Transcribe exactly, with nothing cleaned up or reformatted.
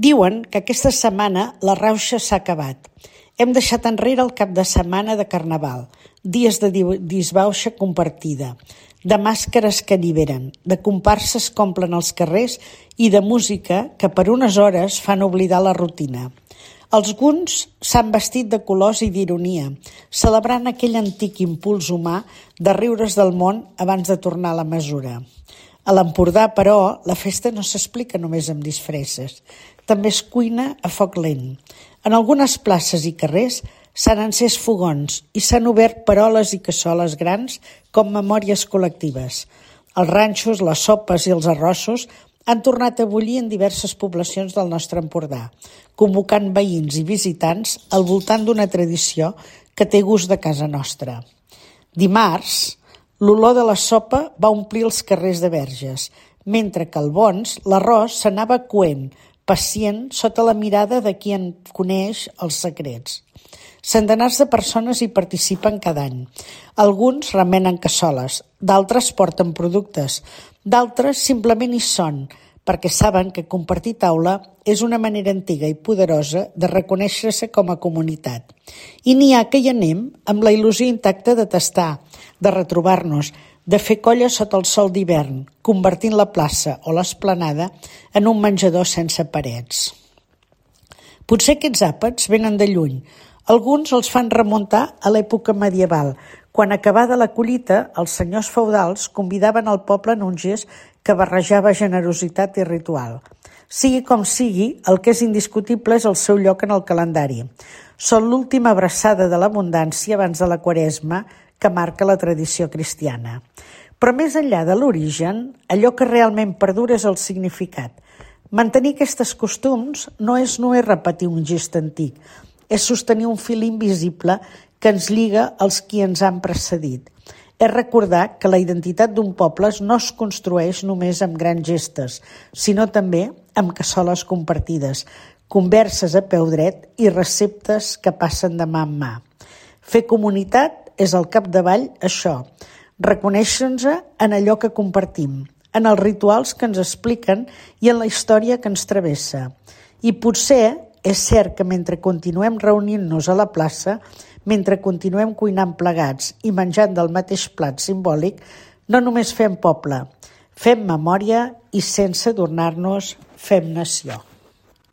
Diuen que aquesta setmana la rauxa s'ha acabat. Hem deixat enrere el cap de setmana de Carnaval, dies de disbauxa compartida, de màscares que alliberen, de comparses que omplen els carrers i de música que per unes hores fan oblidar la rutina. Alguns s'han vestit de colors i d'ironia, celebrant aquell antic impuls humà de riure's del món abans de tornar a la mesura. A l'Empordà, però, la festa no s'explica només amb disfresses. També es cuina a foc lent. En algunes places i carrers s'han encès fogons i s'han obert peroles i cassoles grans com memòries col·lectives. Els ranxos, les sopes i els arrossos han tornat a bullir en diverses poblacions del nostre Empordà, convocant veïns i visitants al voltant d'una tradició que té gust de casa nostra. Dimarts, l'olor de la sopa va omplir els carrers de Verges, mentre que al Bons l'arròs s'anava coent, pacient, sota la mirada de qui en coneix els secrets. Centenars de persones hi participen cada any. Alguns remenen cassoles, d'altres porten productes, d'altres simplement hi són, perquè saben que compartir taula és una manera antiga i poderosa de reconèixer-se com a comunitat. I n'hi ha que hi anem amb la il·lusió intacta de tastar, de retrobar-nos, de fer colla sota el sol d'hivern, convertint la plaça o l'esplanada en un menjador sense parets. Potser aquests àpats venen de lluny. Alguns els fan remuntar a l'època medieval, quan acabada la collita, els senyors feudals convidaven el poble en un gest que barrejava generositat i ritual. Sigui com sigui, el que és indiscutible és el seu lloc en el calendari. Són l'última abraçada de l'abundància abans de la Quaresma que marca la tradició cristiana. Però més enllà de l'origen, allò que realment perdura és el significat. Mantenir aquests costums no és només repetir un gest antic, és sostenir un fil invisible que ens lliga als qui ens han precedit. És recordar que la identitat d'un poble no es construeix només amb grans gestes, sinó també amb cassoles compartides, converses a peu dret i receptes que passen de mà en mà. Fer comunitat és al capdavall això, reconèixer-nos en allò que compartim, en els rituals que ens expliquen i en la història que ens travessa. I potser és cert que mentre continuem reunint-nos a la plaça, mentre continuem cuinant plegats i menjant del mateix plat simbòlic, no només fem poble, fem memòria i sense adornar-nos fem nació.